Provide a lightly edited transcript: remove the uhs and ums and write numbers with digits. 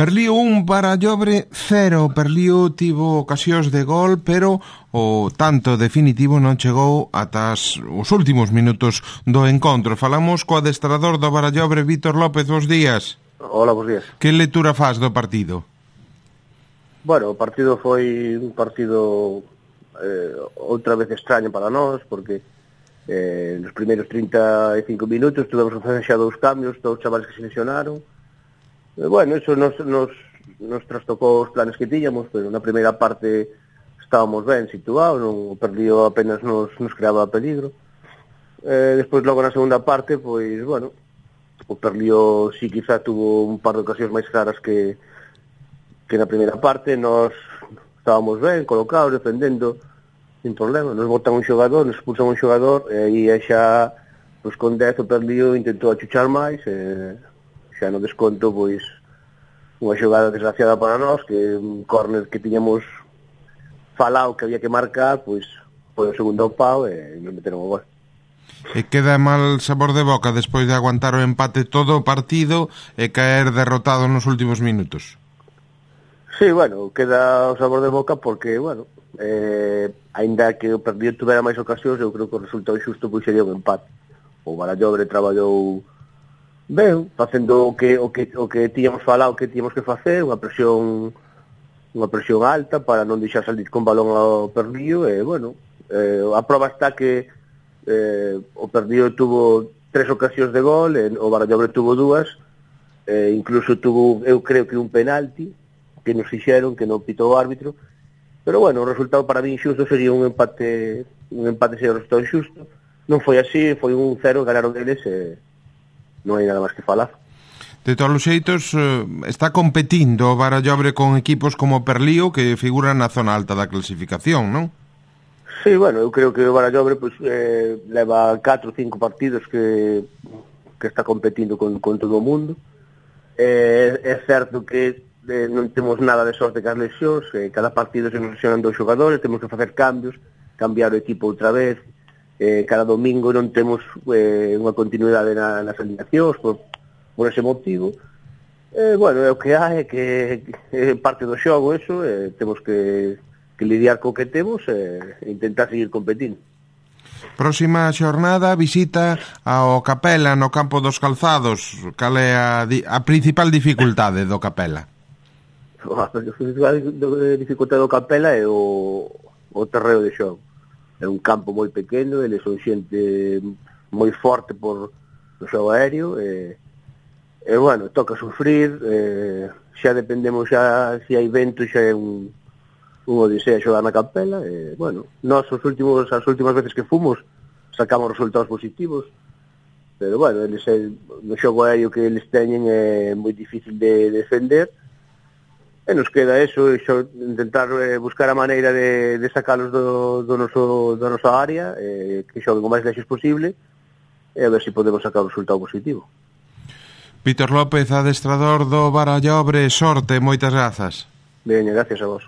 Perlío 1 para Llobre 0. Perlío tivo ocasións de gol, pero o tanto definitivo non chegou ata os últimos minutos do encontro. Falamos co adestrador do Barallobre, Vítor López. Bos días. Hola, bos días. Que lectura faz do partido? Bueno, o partido foi un partido outra vez extraño para nós, porque nos primeiros 35 minutos tuvemos que facer xa 2 cambios, 2 chavales que se lesionaron. Bueno, eso nos trastocou os planes que tiñamos, pero na primeira parte estábamos ben situados, o Perlío apenas nos creaba peligro. Despois, logo na segunda parte, pois, bueno, o Perlío sí quizá tuvo un par de ocasións máis claras que na primeira parte. Nos estábamos ben, colocados, defendendo, sin problema. Nos botan un xogador, nos expulsan un xogador, e aí xa, pois, con 10 o Perlío intentou achuchar máis, xa no desconto, pois, unha xogada desgraciada para nós, que un córner que tiñamos falado que había que marcar, pois, foi o segundo pau e nos meteron o gol. E queda mal sabor de boca despois de aguantar o empate todo o partido e caer derrotado nos últimos minutos. Sí, bueno, queda o sabor de boca porque, bueno, aínda que o Perlío tuvera máis ocasións, eu creo que o resultado xusto pois sería un empate. O Barallobre traballou ben, facendo o que tiñamos falado que tiñamos que facer, unha presión alta para non deixar salir con balón ao Perlío, e, bueno, a prova está que o Perlío tuvo 3 ocasións de gol, o Barallobre tuvo 2, incluso tuvo, eu creo que un penalti que nos fixeron, que non pitou o árbitro, pero, bueno, o resultado para mí xusto sería un empate sería o resultado xusto. Non foi así, foi un 0, ganaron eles, non hai nada máis que falar. De todos os xeitos, está competindo o Barallobre con equipos como o Perlío, que figuran na zona alta da clasificación, non? Sí, bueno, eu creo que o Barallobre pues, leva 4 ou 5 partidos que está competindo con todo o mundo. É certo que non temos nada de sorte cas lesións, cada partido se nos lesionan 2 xogadores, temos que facer cambios, cambiar o equipo outra vez, cada domingo non temos unha continuidade nas alineacións por ese motivo. Bueno, é o que hai, que é parte do xogo eso, temos que lidiar co que temos e intentar seguir competindo. Próxima xornada, visita ao Capela no campo dos Calzados. Cal é a principal dificultade do Capela? A principal dificultade do Capela é o terreo de xogo. É un campo moi pequeno, eles son xente moi forte por o xogo aéreo, e bueno, toca sufrir, xa dependemos, xa se hai vento, xa é un odisea xogar na Capela, e, bueno, nós as últimas veces que fomos sacamos resultados positivos, pero, bueno, eles, no xogo aéreo que eles teñen é moi difícil de defender, e nos queda eso, intentar buscar a maneira de sacalos da nosa área, que xoguen o máis lexos posible, e a ver se podemos sacar un resultado positivo. Vítor López, adestrador do Barallobre, sorte, moitas grazas. Veña, gracias a vos.